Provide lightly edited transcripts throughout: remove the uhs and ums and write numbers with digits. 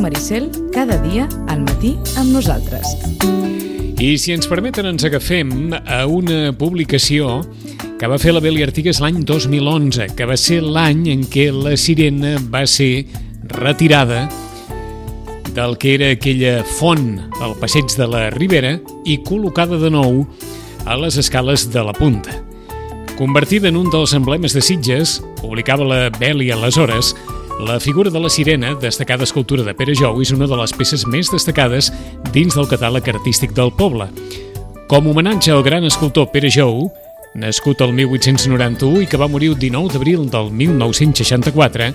Maricel, cada dia al matí amb nosaltres. I si ens permeten ens agafem a una publicació que va fer la Beli Artigas l'any 2011, que va ser l'any en què la sirena va ser retirada del que era aquella font al passeig de la Ribera i col·locada de nou a les escales de la Punta. Convertida en un dels emblemes de Sitges, publicava la Beli aleshores, la figura de la sirena, destacada escultura de Pere Jou, és una de les peces més destacades dins del catàleg artístic del poble. Com a homenatge al gran escultor Pere Jou, nascut el 1891 i que va morir el 19 d'abril del 1964,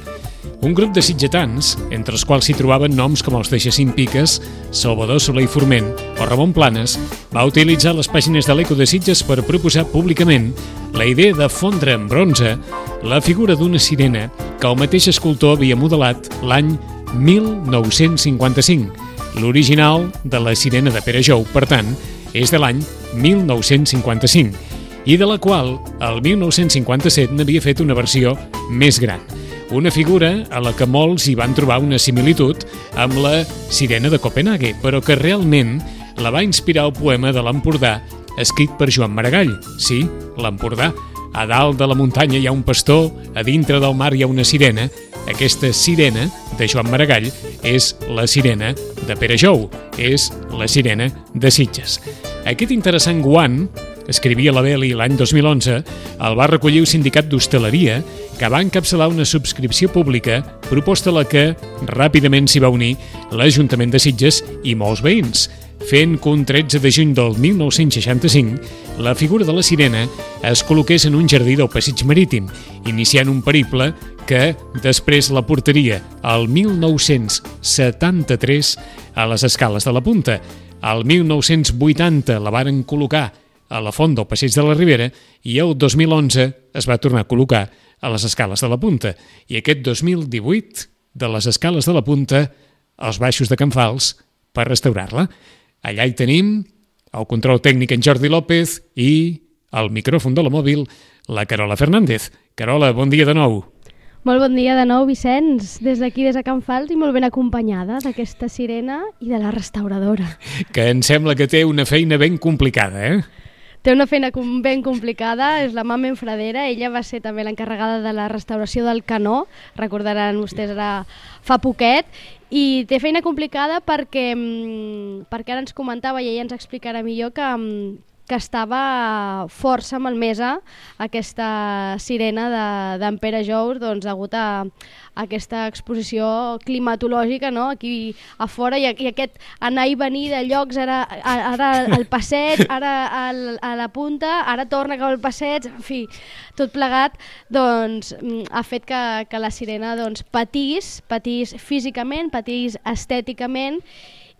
un grup de sitgetans, entre els quals s'hi trobaven noms com els de Jacint Piques, Salvador Soler i Forment o Ramon Planes, va utilitzar les pàgines de l'Eco de Sitges per proposar públicament la idea de fondre en bronze la figura d'una sirena que el mateix escultor havia modelat l'any 1955. L'original de la sirena de Pere Jou, per tant, és de l'any 1955, i de la qual el 1957 n'havia fet una versió més gran. Una figura a la que molts hi van trobar una similitud amb la sirena de Copenhague, però que realment la va inspirar el poema de l'Empordà, escrit per Joan Maragall. Sí, l'Empordà. A dalt de la muntanya hi ha un pastor, a dintre del mar hi ha una sirena. Aquesta sirena de Joan Maragall és la sirena de Pere Jou, és la sirena de Sitges. Aquest interessant guant, escrivia la Beli l'any 2011, el va recollir el sindicat d'hostaleria, que va encapçalar una subscripció pública, proposta a la que ràpidament s'hi va unir l'Ajuntament de Sitges i molts veïns, fent que un 13 de juny del 1965 la figura de la sirena es col·loqués en un jardí del passeig marítim, iniciant un periple que després la portaria al 1973 a les escales de la Punta. Al 1980 la varen col·locar a la font del passeig de la Ribera i el 2011 es va tornar a col·locar a les escales de la Punta. I aquest 2018, de les escales de la Punta als baixos de Can Fals per restaurar-la. Allà hi tenim el control tècnic en Jordi López i al micròfon de la mòbil la Carola Fernández. Carola, bon dia de nou. Molt bon dia de nou, Vicenç, des d'aquí, des de Can Fals, i molt ben acompanyada d'aquesta sirena i de la restauradora. Que em sembla que té una feina ben complicada, eh? Té una feina ben complicada, és la Mamen Fradera, ella va ser també l'encarregada de la restauració del canó, recordaran vostès ara fa poquet, i té feina complicada perquè ara ens comentava i ella ens explicarà millor que estava força malmesa aquesta sirena d'en Pere Jou, doncs degut a aquesta exposició climatològica, no? Aquí a fora i aquest anar i venir de llocs, ara al passeig, ara a la Punta, ara torna cap al passeig, en fi, tot plegat doncs, ha fet que la sirena doncs, patís físicament, patís estèticament,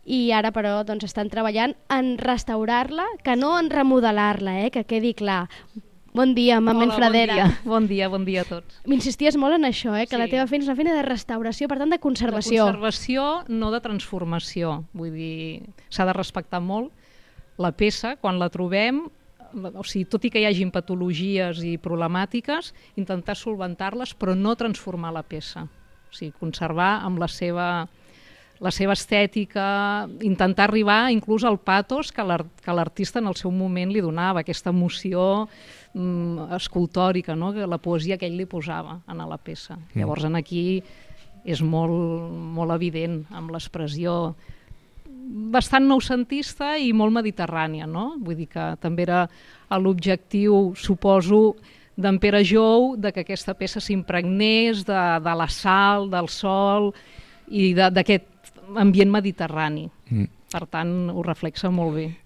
i ara però doncs, estan treballant en restaurar-la, que no en remodelar-la, que quedi clar. Bon dia, Mamen Fradera. Bon dia a tots. M'insisties molt en això, que sí. La teva feina és una feina de restauració, per tant de conservació. De conservació, no de transformació. Vull dir, s'ha de respectar molt la peça quan la trobem, o sigui, tot i que hi hagin patologies i problemàtiques, intentar solventar-les, però no transformar la peça. O sigui, conservar amb la seva estètica, intentar arribar inclús al patos que l'artista en el seu moment li donava, aquesta emoció escultòrica, no? La poesia que ell li posava a la peça. Llavors aquí és molt evident, amb l'expressió bastant noucentista i molt mediterrània, no? Vull dir que també era l'objectiu, suposo, d'en Pere Jou, que aquesta peça s'impregnés de la sal, del sol i d'aquest ambient mediterrani. Per tant, ho reflexa molt bé.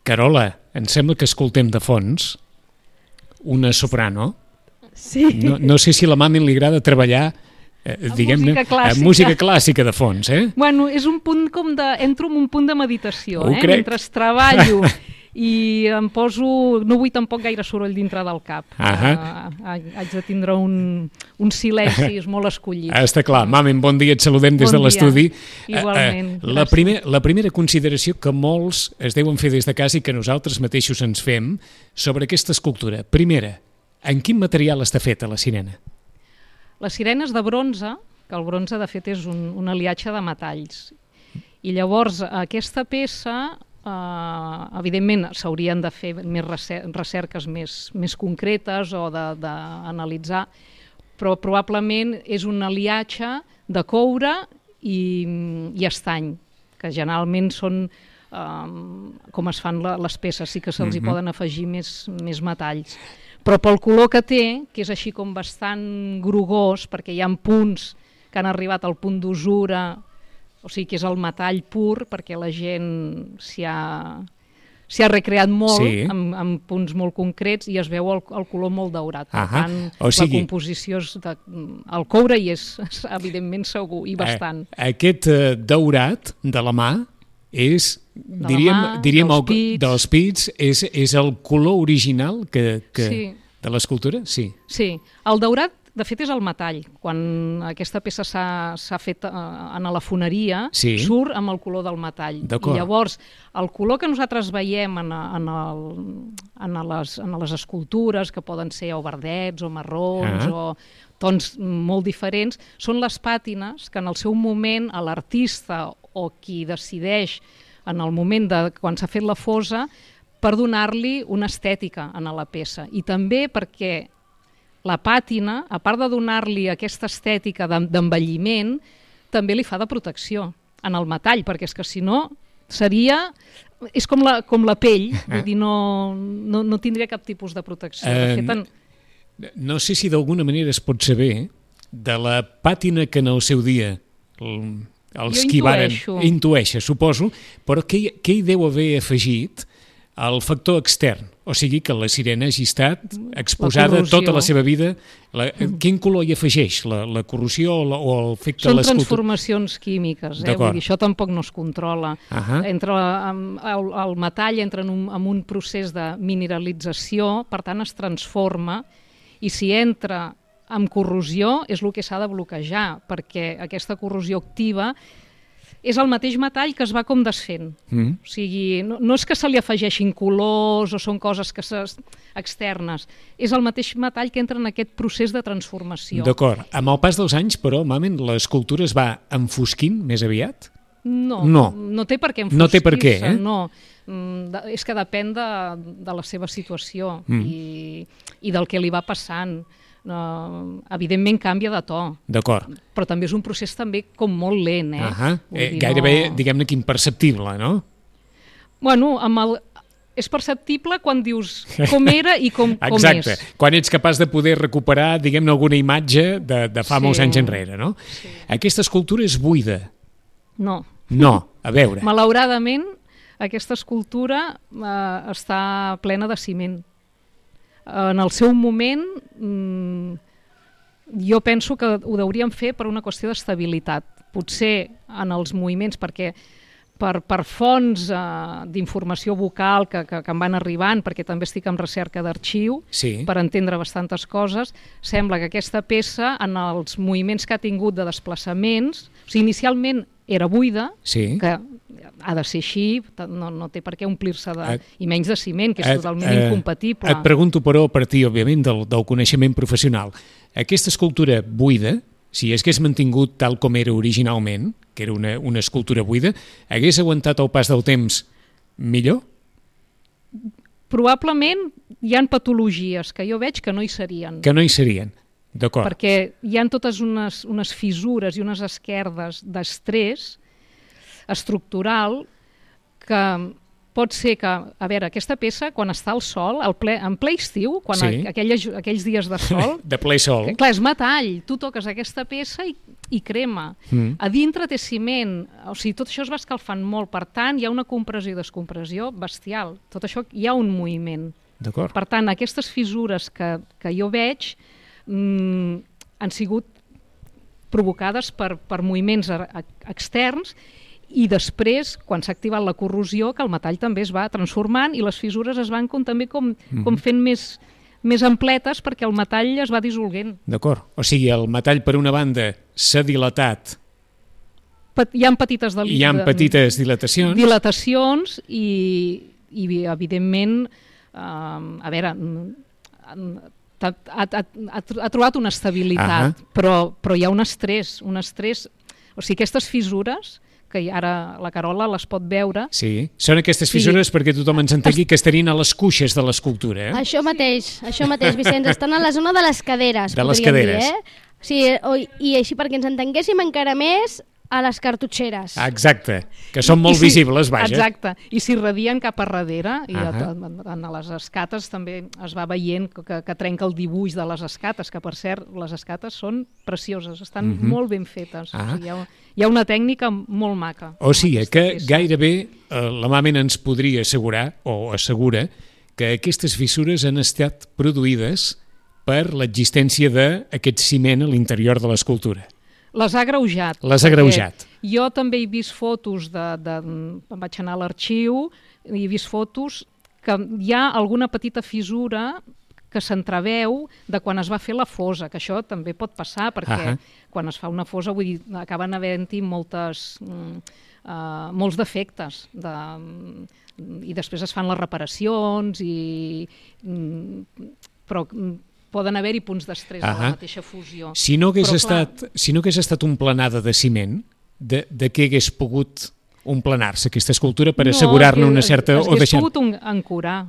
Carola, em sembla que escoltem de fons una soprano. Sí. No sé si a la Mamen li agrada treballar amb música clàssica de fons, eh? Bueno, és un punt entro en un punt de meditació, Ho crec. Mentre treballo i em poso... No vull tampoc gaire soroll dintre del cap. Haig de tindre uns silencis molt escollits. Està clar. Mamen, bon dia, et saludem des de l'estudi. Igualment. La primera consideració que molts es deuen fer des de casa i que nosaltres mateixos ens fem sobre aquesta escultura. Primera, en quin material està feta la sirena? La sirena és de bronze, que el bronze de fet és un aliatge de metalls. I llavors aquesta peça... evidentment s'haurien de fer més recerques més concretes o d'analitzar, però probablement és un aliatge de coure i estany, que generalment són com es fan les peces, sí que se'ls hi poden afegir més metalls. Però pel color que té, que és així com bastant grogós, perquè hi ha punts que han arribat al punt d'usura, o sigui que és el metall pur, perquè la gent s'hi ha recreat molt, amb punts molt concrets, i es veu el color molt daurat. Per tant, la composició és el coure hi és evidentment segur, i bastant. Aquest daurat de la mà és, diríem dels pits, és el color original de l'escultura? Sí. Sí, el daurat de fet és el metall. Quan aquesta peça s'ha fet a la foneria, surt amb el color del metall. I llavors, el color que nosaltres veiem en les escultures, que poden ser o verdets o marrons o tons molt diferents, són les pàtines que en el seu moment l'artista o qui decideix en el moment quan s'ha fet la fosa per donar-li una estètica a la peça. I també perquè la pàtina, a part de donar-li aquesta estètica d'envelliment, també li fa de protecció en el metall, perquè és que si no seria... És com la pell, vull dir, no tindria cap tipus de protecció. No sé si d'alguna manera es pot saber de la pàtina que en el seu dia els qui varen... Intueixa, suposo, però què hi deu haver afegit el factor extern? O sigui que la sirena hagi estat exposada tota la seva vida. Quin color hi afegeix? La corrosió o el efecte de l'escultura? Són transformacions químiques, vull dir, això tampoc no es controla. El metall entra en un procés de mineralització, per tant es transforma, i si entra amb corrosió és el que s'ha de bloquejar, perquè aquesta corrosió activa és el mateix metall que es va com desfent. O sigui, no és que se li afegeixin colors o són coses externes, és el mateix metall que entra en aquest procés de transformació. D'acord. Amb el pas dels anys, però, Mamen, l'escultura es va enfosquint més aviat? No té per què enfosquir-se. No té per què, no. És que depèn de la seva situació i del que li va passant. Evidentment canvia de to. D'acord. Però també és un procés també com molt lent, gairebé, diguem-ne, que imperceptible, no? Bueno, és perceptible quan dius com era i com és. Exacte, quan ets capaç de poder recuperar, diguem-ne, alguna imatge de fa molts anys enrere, no? Aquesta escultura és buida. No. No, a veure. Malauradament, aquesta escultura està plena de ciment. En el seu moment, jo penso que ho hauríem fer per una qüestió d'estabilitat. Potser en els moviments, perquè per fonts d'informació vocal que em van arribant, perquè també estic en recerca d'arxiu, per entendre bastantes coses, sembla que aquesta peça, en els moviments que ha tingut de desplaçaments, o sigui, inicialment era buida, que ha de ser així, no té per què omplir-se i menys de ciment, que és totalment incompatible. Et pregunto, però, a partir, òbviament, del coneixement professional. Aquesta escultura buida, si hagués mantingut tal com era originalment, que era una escultura buida, hagués aguantat el pas del temps millor? Probablement hi ha patologies que jo veig que no hi serien. Que no hi serien, d'acord. Perquè hi ha totes unes fissures i unes esquerdes d'estrès estructural que pot ser que, a veure, aquesta peça, quan està al sol, en ple estiu, quan aquells dies de sol... de ple sol. Clar, és metall, tu toques aquesta peça i crema. A dintre té ciment, o sigui, tot això es va escalfant molt, per tant, hi ha una compressió i descompressió bestial. Tot això hi ha un moviment. D'acord. Per tant, aquestes fissures que jo veig han sigut provocades per moviments externs I després, quan s'ha activat la corrosió, que el metall també es va transformant i les fissures es van també com fent més ampletes perquè el metall es va dissolguent. D'acord. O sigui, el metall, per una banda, s'ha dilatat. Hi ha petites dilatacions. Dilatacions i evidentment, a veure, ha trobat una estabilitat, però hi ha un estrès. O sigui, aquestes fissures, que ara la Carola les pot veure... Sí, són aquestes fissures perquè tothom ens entengui que estarien a les cuixes de l'escultura. Això mateix, Vicenç, estan a la zona de les caderes, de les caderes. Dir, Sí, i així perquè ens entenguéssim encara més, a les cartutxeres. Exacte, que són molt visibles, vaja. Exacte, i s'irradien cap a darrere, i en les escates també es va veient que trenca el dibuix de les escates, que per cert, les escates són precioses, estan molt ben fetes. O sigui, hi ha una tècnica molt maca. O sigui, que gairebé la Mamen ens podria assegurar, o assegura, que aquestes fissures han estat produïdes per l'existència d'aquest ciment a l'interior de l'escultura. Les ha agreujat. Jo també he vist fotos, vaig anar a l'arxiu, i he vist fotos que hi ha alguna petita fissura que s'entreveu de quan es va fer la fosa, que això també pot passar, perquè quan es fa una fosa, vull dir, acaben havent-hi molts defectes, i després es fan les reparacions, però poden haver-hi punts d'estrès a la mateixa fusió. Si no hagués estat un planada de ciment, de què hagués pogut emplenar-se aquesta escultura per assegurar-ne una certa... Hagués pogut ancorar,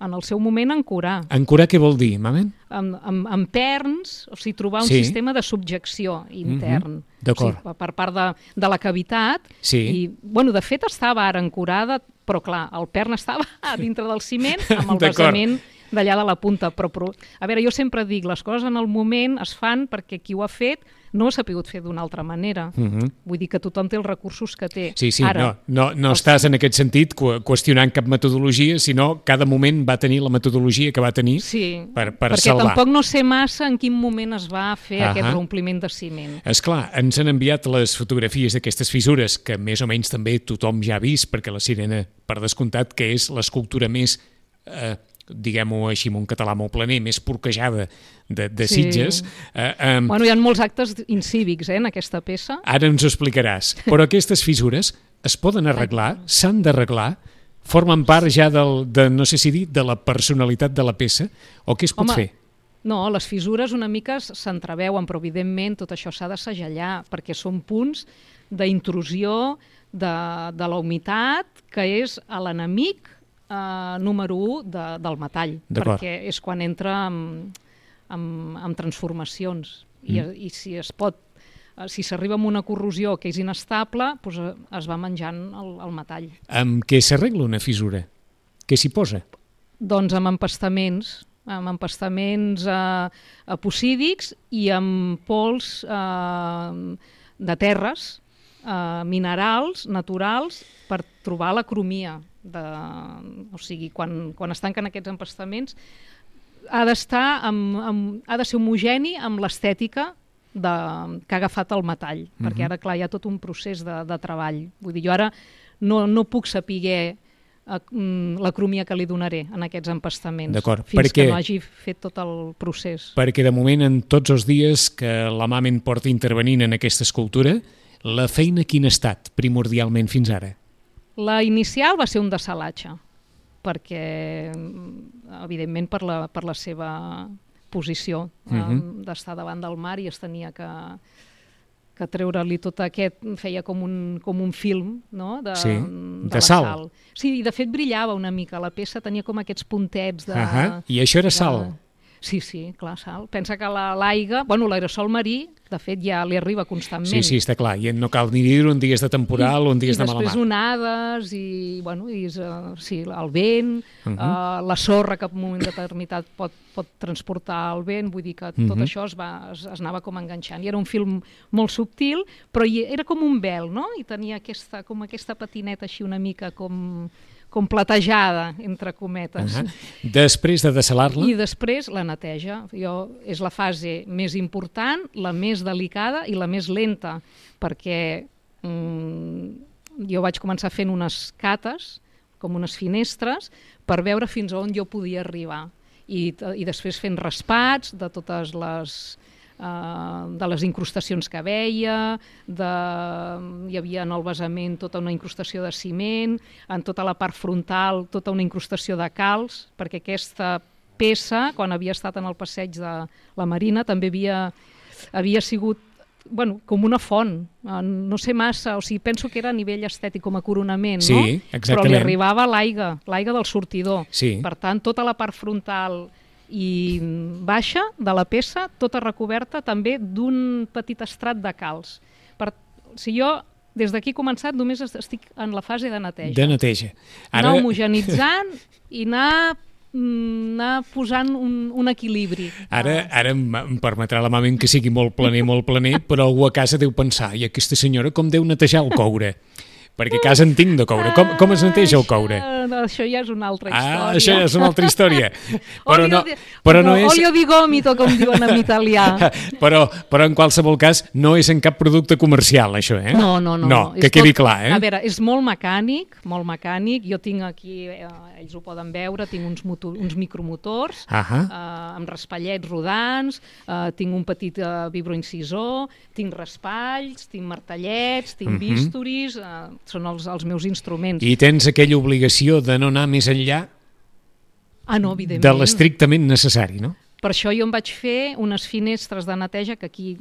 en el seu moment ancorar. Ancorar què vol dir, Mamen? Amb perns, o sigui, trobar un sistema de subjecció intern. D'acord. Per part de la cavitat. I, de fet, estava ara ancorada, però clar, el pern estava dintre del ciment amb el basament d'allà de la punta, però a veure, jo sempre dic, les coses en el moment es fan perquè qui ho ha fet no s'ha pogut fer d'una altra manera. Vull dir que tothom té els recursos que té. Sí, no estàs en aquest sentit qüestionant cap metodologia, sinó cada moment va tenir la metodologia que va tenir per salvar. Perquè tampoc no sé massa en quin moment es va fer aquest reompliment de ciment. Esclar, ens han enviat les fotografies d'aquestes fissures, que més o menys també tothom ja ha vist, perquè la Sirena, per descomptat, que és l'escultura més... diguem-ho així en un català molt planer, més porquejada de Sitges. Hi ha molts actes incívics en aquesta peça. Ara ens ho explicaràs. Però aquestes fissures es poden arreglar, s'han d'arreglar, formen part ja no sé si dir, de la personalitat de la peça, o què es pot fer? No, les fissures una mica s'entreveuen, però evidentment tot això s'ha de segellar, perquè són punts d'intrusió de la humitat, que és l'enemic número 1 del metall, perquè és quan entra en transformacions i si s'arriba a una corrosió que és inestable, doncs es va menjant el metall. Amb què s'arregla una fissura? Què s'hi posa? Doncs amb empastaments epocídics i amb pols de terres, minerals, naturals, per trobar la cromia. O sigui, quan es tanquen aquests empastaments ha de ser homogeni amb l'estètica que ha agafat el metall, perquè ara clar hi ha tot un procés de treball. Vull dir, jo ara no puc saber la cromia que li donaré en aquests empastaments fins que no hagi fet tot el procés. Perquè de moment, en tots els dies que la Mamen porta intervenint en aquesta escultura, la feina quin ha estat primordialment fins ara? La inicial va ser un dessalatge, perquè, evidentment, per la seva posició d'estar davant del mar i es tenia que treure-li tot aquest, feia com un film de sal. Sí, i de fet brillava una mica, la peça tenia com aquests puntets de... I això era sal? Sí, clar, sal. Pensa que l'aigua, l'aerosol marí, de fet, ja li arriba constantment. Sí, està clar, i no cal ni dir-ho en dies de temporal o en dies de mala mar. I després onades, el vent, la sorra que en un moment determinat pot transportar el vent, vull dir que tot això es anava com enganxant. I era un film molt subtil, però era com un vel, no? I tenia aquesta patineta així una mica com platejada, entre cometes. Després de dessalar-la? I després la neteja. És la fase més important, la més delicada i la més lenta, perquè jo vaig començar fent unes cates, com unes finestres, per veure fins a on jo podia arribar. I després fent raspats de totes les incrustacions que veia, hi havia en el basament tota una incrustació de ciment, en tota la part frontal tota una incrustació de calç, perquè aquesta peça, quan havia estat en el passeig de la Marina, també havia sigut com una font, no sé massa, o sigui, penso que era a nivell estètic com a coronament, sí, no? Exactament. Però li arribava l'aigua del sortidor. Sí. Per tant, tota la part frontal i baixa de la peça, tota recoberta també d'un petit estrat de calç. Si jo, des d'aquí començat, només estic en la fase de neteja. De neteja. Anar homogenitzant i anar posant un equilibri. Ara em permetrà la mama que sigui molt planer, però algú a casa deu pensar, i aquesta senyora com deu netejar el coure? Perquè a casa en tinc de coure. Com es neteja el coure? Això ja és una altra història. Això ja és una altra història. Olio di gomito, com diuen en italià. Però en qualsevol cas no és en cap producte comercial, això, eh? No. Que quedi clar, eh? A veure, és molt mecànic. Jo tinc aquí, ells ho poden veure, tinc uns micromotors amb raspallets rodants, tinc un petit vibroincisor, tinc raspalls, tinc martellets, tinc bisturis, són els meus instruments. I tens aquella obligació de no anar més enllà evidentment, de l'estrictament necessari, no? Per això jo em vaig fer unes finestres de neteja que aquí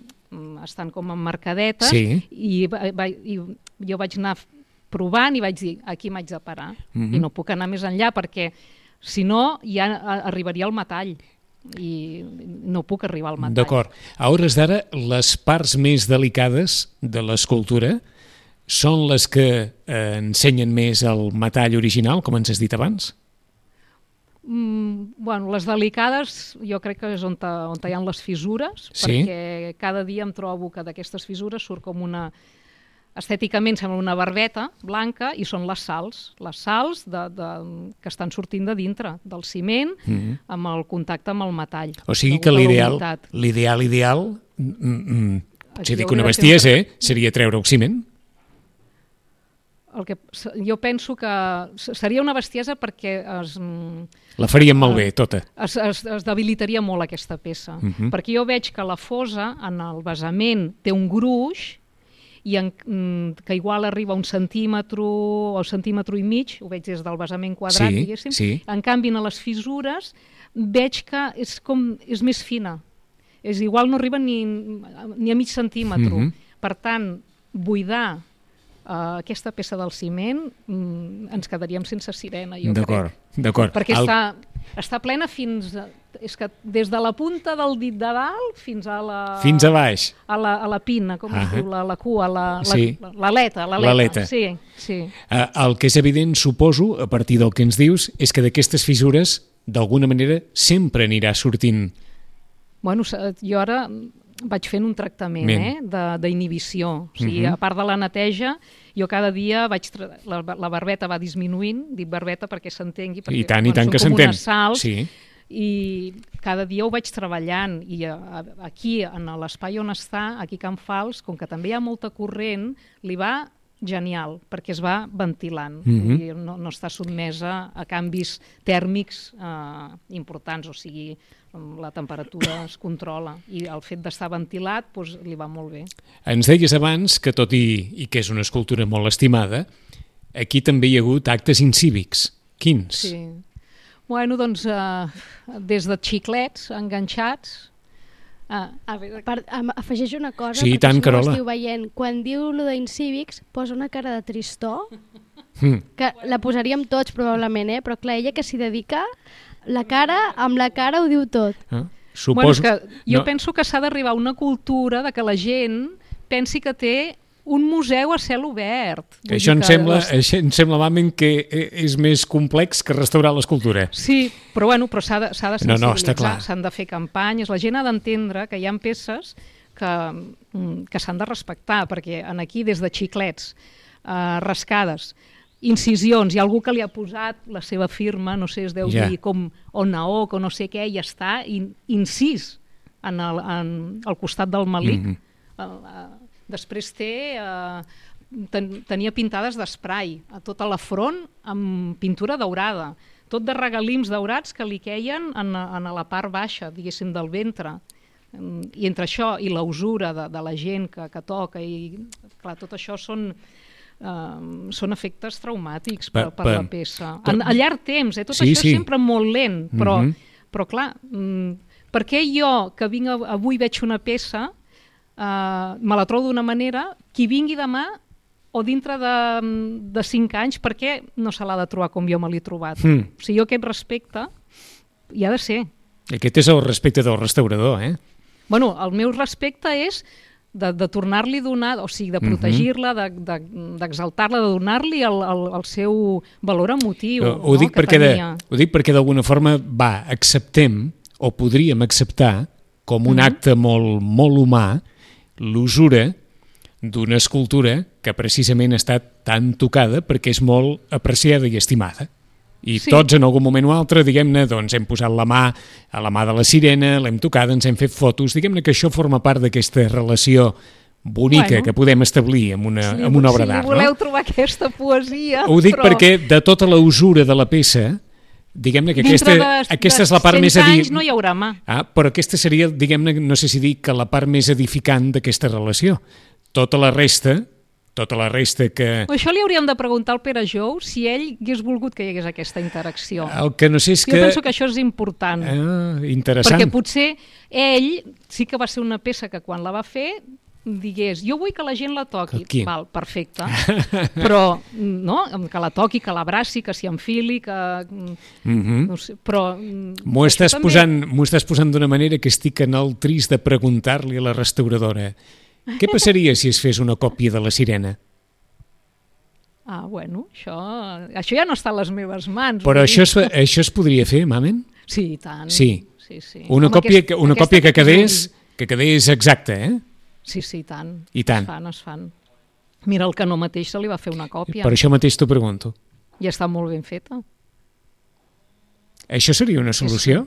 estan com emmarcadetes, sí. i jo vaig anar provant i vaig dir, aquí m'haig de parar, i no puc anar més enllà perquè si no ja arribaria al metall i no puc arribar al metall. D'acord. A hores d'ara, les parts més delicades de l'escultura són les que ensenyen més el metall original, com ens has dit abans? Les delicades jo crec que és on hi ha les fissures, perquè cada dia em trobo que d'aquestes fissures surt com una... Estèticament sembla una barbeta blanca i són les sals que estan sortint de dintre del ciment amb el contacte amb el metall. O sigui que l'ideal, si dic una bestiesa, seria treure el ciment? Jo penso que seria una bestiesa perquè la faríem malbé, tota. Es debilitaria molt aquesta peça, perquè jo veig que la fosa en el basament té un gruix i que igual arriba a 1 centímetre o 1,5 centímetres, ho veig des del basament quadrat, diguéssim. En canvi, a les fissures veig que és més fina. Igual no arriba ni a mig centímetre. Per tant, buidar aquesta peça del ciment ens quedaríem sense sirena, jo crec. D'acord. Perquè està plena fins... És que des de la punta del dit de dalt fins a la... Fins a baix. A la pina, com es diu, la cua, l'aleta. L'aleta. Sí. El que és evident, suposo, a partir del que ens dius, és que d'aquestes fissures, d'alguna manera, sempre anirà sortint. Jo ara vaig fent un tractament d'inhibició. O sigui, a part de la neteja, jo cada dia la barbeta va disminuint, dic barbeta perquè s'entengui, I tant que s'entén. Unes sals, i cada dia ho vaig treballant, i aquí, en l'espai on està, aquí a Can Fals, com que també hi ha molta corrent, li va genial, perquè es va ventilant, i no està sotmesa a canvis tèrmics importants, o sigui, la temperatura es controla, i el fet d'estar ventilat li va molt bé. Ens deies abans que, tot i que és una escultura molt estimada, aquí també hi ha hagut actes incívics. Quins? Sí. Doncs des de xiclets enganxats. Afegeix una cosa, sí, perquè tant, si no Carola. ho estiu veient. Quan diu allò d'incívics, posa una cara de tristor, que la posaríem tots probablement, però clar, ella que s'hi dedica, amb la cara ho diu tot. Jo penso que s'ha d'arribar a una cultura de que la gent pensi que té un museu a cel obert. Això em sembla malament que és més complex que restaurar l'escultura. Sí, però s'ha de sensibilitzar, s'han de fer campanyes, la gent ha d'entendre que hi ha peces que s'han de respectar, perquè aquí des de xiclets, rascades, incisions, hi ha algú que li ha posat la seva firma, no sé, es deu dir com Onaok o no sé què, i està incís al costat del malic. Després té tenia pintades d'esprai a tota la front amb pintura daurada, tot de regalims daurats que li queien en la part baixa, diguéssim, del ventre. I entre això i la usura de la gent que toca, i clar, tot això són efectes traumàtics per la peça. A llarg temps, tot això és sempre molt lent, però clar, per què jo, que vinc avui veig una peça, me la trobo d'una manera, qui vingui demà o dintre de 5 anys, per què no se l'ha de trobar com jo me l'he trobat? O sigui, jo aquest respecte hi ha de ser. Aquest és el respecte del restaurador, eh? Bueno, el meu respecte és de tornar-li a donar, o sigui, de protegir-la, d'exaltar-la, de donar-li el seu valor emotiu. Ho dic perquè d'alguna forma, acceptem, o podríem acceptar, com un acte molt, molt humà, l'usura d'una escultura que precisament ha estat tan tocada perquè és molt apreciada i estimada. I tots en algun moment o altre, diguem-ne, doncs hem posat la mà a la mà de la sirena, l'hem tocada, ens hem fet fotos, diguem-ne que això forma part d'aquesta relació bonica que podem establir amb una obra d'art. Si voleu trobar aquesta poesia... Ho dic perquè de tota la usura de la peça, diguem-ne que aquesta és la part més... Dintre de 100 anys no hi haurà mà. Però aquesta seria, diguem-ne, no sé si dir que la part més edificant d'aquesta relació. Tota la resta que... Això li hauríem de preguntar al Pere Jou si ell hagués volgut que hi hagués aquesta interacció. El que no sé és que... Jo penso que això és important. Interessant. Perquè potser ell sí que va ser una peça que quan la va fer digués, jo vull que la gent la toqui. Val, perfecte. Però, no?, que la toqui, que l'abraci, que s'hi enfili, que... No sé, però... M'ho estàs posant d'una manera que estic en el trist de preguntar-li a la restauradora què passaria si es fes una còpia de la sirena? Bueno, això ja no està a les meves mans. Però això es podria fer, Mamen? Sí, i tant. Sí. Una còpia que quedés exacta, eh? Sí, i tant. I tant. Es fan. Mira, el Canó mateix se li va fer una còpia. Per això mateix t'ho pregunto. I està molt ben feta. Això seria una solució?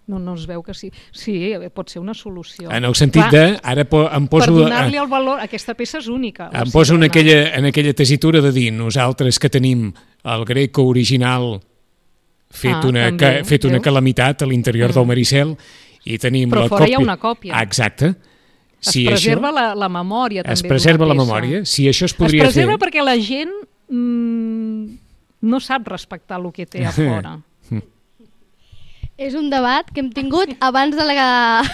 No es veu que sí. Sí, pot ser una solució. En el sentit de... Ara em poso... Per donar-li el valor... Aquesta peça és única. Em poso en aquella tesitura de dir nosaltres que tenim el Greco original fet una calamitat a l'interior del Maricel i tenim la còpia... Però fora hi ha una còpia. Exacte. Es preserva la memòria també. Es preserva la memòria. Si això es podria fer... Es preserva perquè la gent no sap respectar el que té a fora. És un debat que hem tingut abans de la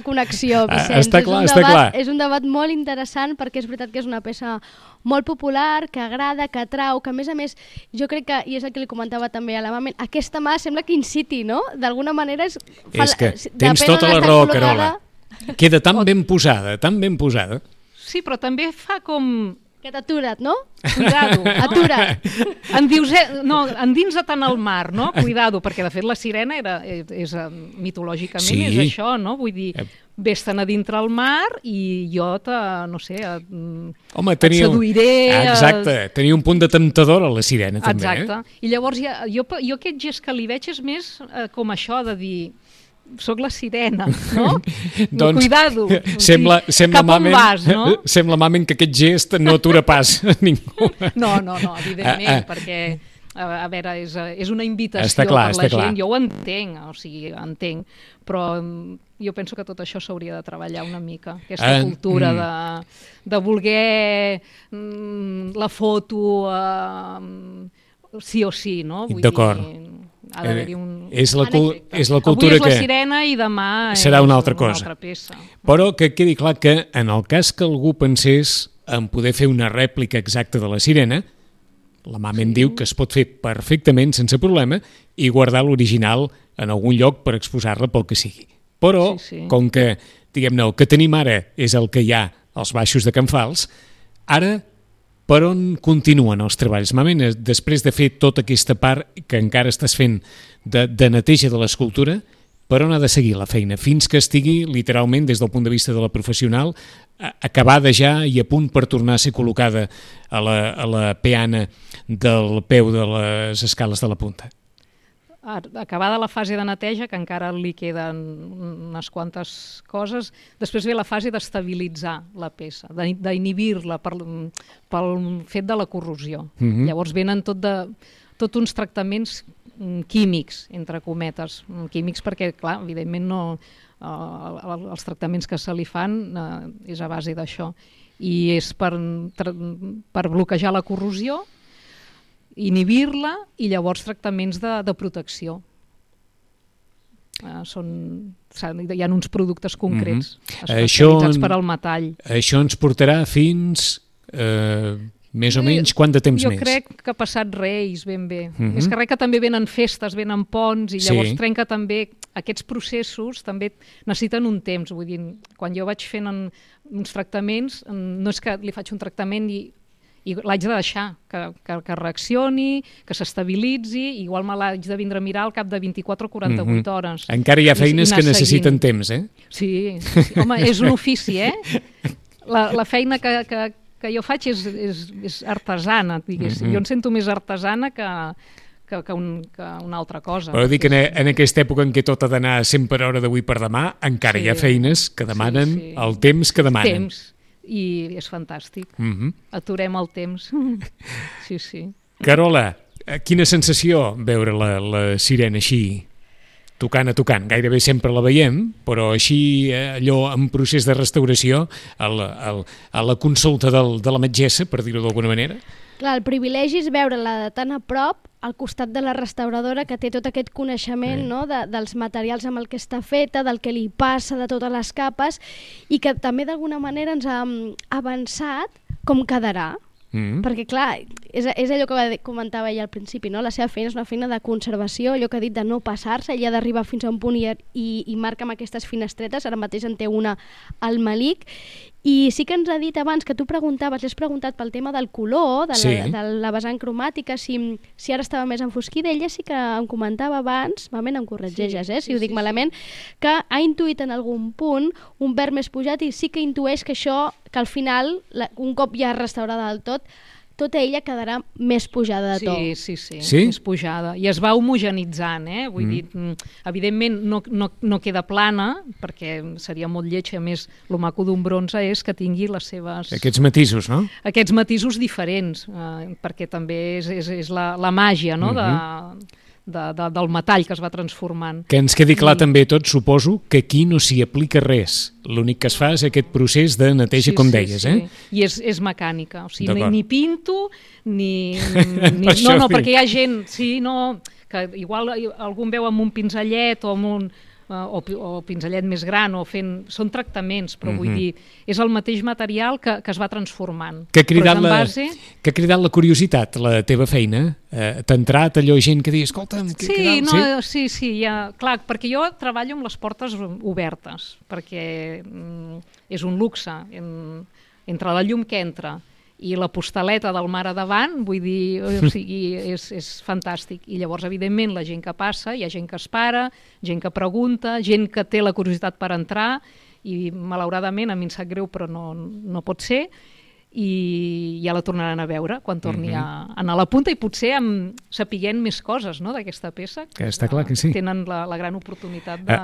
connexió, Vicenç. Està clar. És un debat molt interessant perquè és veritat que és una peça molt popular, que agrada, que atrau, que a més, jo crec que, i és el que li comentava també a la Mamen, aquesta mà sembla que inciti, no? D'alguna manera és que tens tota la raó, Carola. Queda tan ben posada, tan ben posada. Sí, però també fa com... Que t'atura't, no? Cuidado, no? Atura't. Endinsa't en el mar, no? Cuidado, perquè de fet la sirena mitològicament és això, no? Vull dir, vés-te'n a dintre el mar i jo et seduiré... Exacte, tenia un punt de temptadora la sirena, també. Exacte. I llavors jo aquest gest que li veig és més com això de dir... Soc la sirena, no? Doncs, cuidado. Sembla cap on vas, no? Sembla, Mamen, que aquest gest no atura pas a ningú. No, evidentment, perquè, a veure, és una invitació per la gent. Jo ho entenc, entenc, però jo penso que tot això s'hauria de treballar una mica, aquesta cultura de voler la foto sí o sí, no? D'acord. Ha d'haver-hi és la cultura avui és la que sirena i demà serà una altra cosa. Una altra peça. Però que quedi clar que en el cas que algú pensés en poder fer una rèplica exacta de la sirena, la Mamen diu que es pot fer perfectament sense problema i guardar l'original en algun lloc per exposar-la pel que sigui. Però, com que, diguem-ne, el que tenim ara és el que hi ha als baixos de Can Fals, ara per on continuen els treballs? Mamen, després de fer tota aquesta part que encara estàs fent de neteja de l'escultura, per on ha de seguir la feina? Fins que estigui, literalment, des del punt de vista de la professional, acabada ja i a punt per tornar a ser col·locada a la peana del peu de les escales de la punta? acabada la fase de neteja, que encara li queden unes quantes coses, després ve la fase d'estabilitzar la peça, d'inhibir-la pel fet de la corrosió. Llavors venen tot uns tractaments químics, entre cometes, químics perquè, clar, evidentment els tractaments que se li fan és a base d'això, i és per bloquejar la corrosió, inhibir-la, i llavors tractaments de protecció. Hi ha uns productes concrets especialitzats per al metall. Això ens portarà fins més o menys quant de temps més? Jo crec que ha passat Reis ben bé. Més que res que també venen festes, venen ponts, i llavors trenca també aquests processos, també necessiten un temps. Vull dir, quan jo vaig fent uns tractaments, no és que li faig un tractament i l'haig de deixar, que reaccioni, que s'estabilitzi, igual me l'haig de vindre a mirar al cap de 24 o 48 hores. Encara hi ha feines que necessiten temps, eh? Sí. Home, és un ofici, eh? La feina que jo faig és artesana, diguéssim. Jo em sento més artesana que una altra cosa. Però dic que en aquesta època en què tot ha d'anar 100 per hora d'avui per demà, encara hi ha feines que demanen el temps que demanen. Temps. I és fantàstic. Aturem el temps. Sí. Carola, quina sensació veure la sirena així, tocant a tocant? Gairebé sempre la veiem, però així allò en procés de restauració, a la consulta de la metgessa, per dir-ho d'alguna manera? Clar, el privilegi és veure-la de tan a prop al costat de la restauradora, que té tot aquest coneixement, no? dels materials amb el que està feta, del que li passa, de totes les capes, i que també d'alguna manera ens ha avançat com quedarà. Perquè clar, és allò que comentava ella al principi, no? La seva feina és una feina de conservació, allò que ha dit de no passar-se, ella ha d'arribar fins a un punt i marca amb aquestes finestretes. Ara mateix en té una al Malik, i sí que ens ha dit abans que tu li has preguntat pel tema del color, de la vessant cromàtica, si ara estava més enfosquida. Ella sí que em comentava abans, em corregeixes, si ho dic malament, que ha intuït en algun punt un verd més pujat, i sí que intueix que això, que al final, un cop ja restaurada del tot, tota ella quedarà més pujada de to. Sí, més pujada. I es va homogenitzant, Vull dir, evidentment no queda plana, perquè seria molt lleig. A més, el maco d'un bronze és que tingui les seves... Aquests matisos, no? Aquests matisos diferents, perquè també és la màgia, no?, del metall que es va transformant. Que ens quedi clar també tot, suposo, que aquí no s'hi aplica res. L'únic que es fa és aquest procés de neteja, com deies, I és mecànica, o sigui, ni pinto, ni no, perquè hi ha gent, que igual algú em veu amb un pinzellet o amb un o pinzellet més gran, són tractaments, però vull dir, és el mateix material que es va transformant. Que ha cridat la curiositat, la teva feina? T'ha entrat allò gent que diu, escolta'm... Sí, clar, perquè jo treballo amb les portes obertes, perquè és un luxe, entre la llum que entra i la postaleta del mar a davant, vull dir, o sigui, és fantàstic. I llavors, evidentment, la gent que passa, hi ha gent que es para, gent que pregunta, gent que té la curiositat per entrar, i malauradament, a mi em sap greu, però no pot ser, i ja la tornaran a veure quan torni a anar a la punta, i potser sapiguent més coses, no?, d'aquesta peça, que està clar que sí. Tenen la gran oportunitat de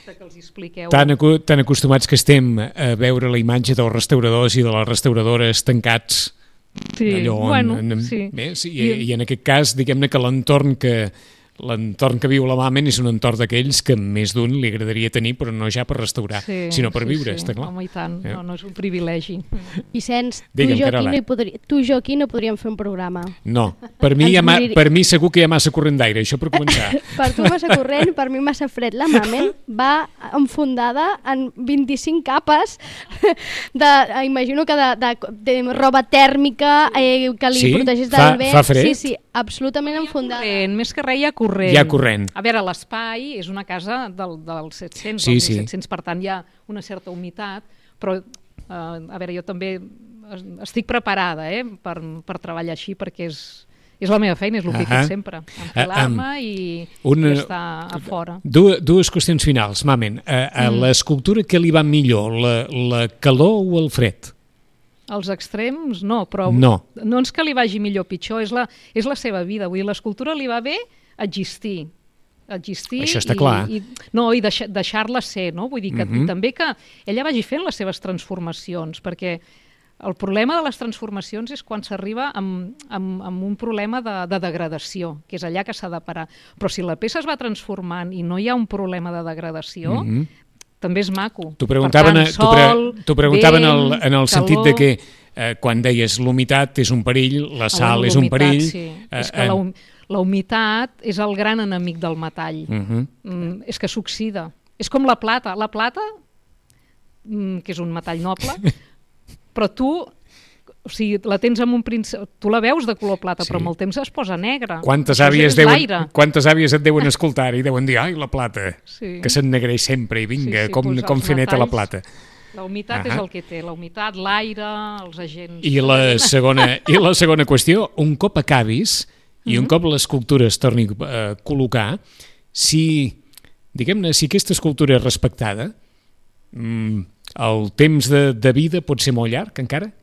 que els expliqueu. Tan acostumats que estem a veure la imatge dels restauradors i de les restauradores tancats, i en aquest cas, diguem-ne que l'entorn que viu la Mamen és un entorn d'aquells que més d'un li agradaria tenir, però no ja per restaurar, sinó per viure, està clar. Home, i tant, no és un privilegi. Vicenç, tu i jo aquí no podríem fer un programa. No, per mi segur que hi ha massa corrent d'aire, això per començar. Per tu massa corrent, per mi massa fred. La Mamen va enfundada en 25 capes imagino que de roba tèrmica que li protegís del vent. Fa fred? Sí, absolutament enfundada. Més que res hi ha corrent. Hi ha corrent. A veure, l'espai és una casa dels 700, dels 1700, per tant hi ha una certa humitat, però a veure, jo també estic preparada per treballar així, perquè és la meva feina, és el que he fet sempre, enfilar-me i estar a fora. Dues qüestions finals, Mamen. A l'escultura què li va millor, la calor o el fred? Els extrems no, però no és que li vagi millor o pitjor, és la seva vida. Vull dir, l'escultura li va bé existir, existir. Això està clar. I deixar-la ser, no? Vull dir que també que ella vagi fent les seves transformacions, perquè el problema de les transformacions és quan s'arriba amb un problema de degradació, que és allà que s'ha de parar. Però si la peça es va transformant i no hi ha un problema de degradació, també és maco. T'ho preguntaven en el sentit de que quan deies l'humitat és un perill, la sal és un perill... Sí. És que la humitat és el gran enemic del metall. És que s'oxida. És com la plata. La plata, que és un metall noble, però tu, o sigui, la tens amb un tu la veus de color plata, però amb el temps es posa negra. Quantes àvies et deuen escoltar i deuen dir, ai, la plata, que s'ennegreix sempre i vinga, com fer neta la plata. La humitat és el que té, la humitat, l'aire, els agents... I la segona qüestió, un cop acabis i un cop l'escultura es torni a col·locar, si aquesta escultura és respectada, el temps de vida pot ser molt llarg, encara?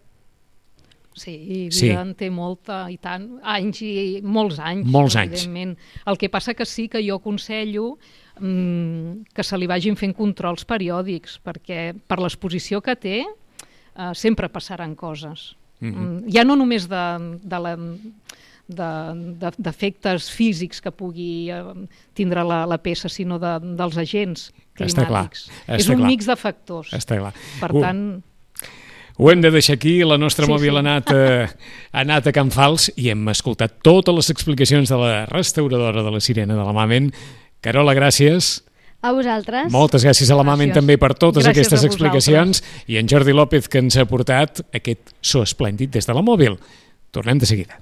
Sí, vida en té molta, i tant, anys i molts anys. Molts anys. Evidentment. El que passa que sí que jo aconsello que se li vagin fent controls periòdics, perquè per l'exposició que té sempre passaran coses. Ja no només d'efectes físics que pugui tindre la peça, sinó dels agents climàtics. És un mix de factors. Està clar. Per tant... Ho hem de deixar aquí, la nostra mòbil ha anat a Can Fals i hem escoltat totes les explicacions de la restauradora de la Sirena de la Mamen. Carola, gràcies. A vosaltres. Moltes gràcies a la Mamen també per totes aquestes explicacions i en Jordi López que ens ha portat aquest so esplèndid des de la mòbil. Tornem de seguida.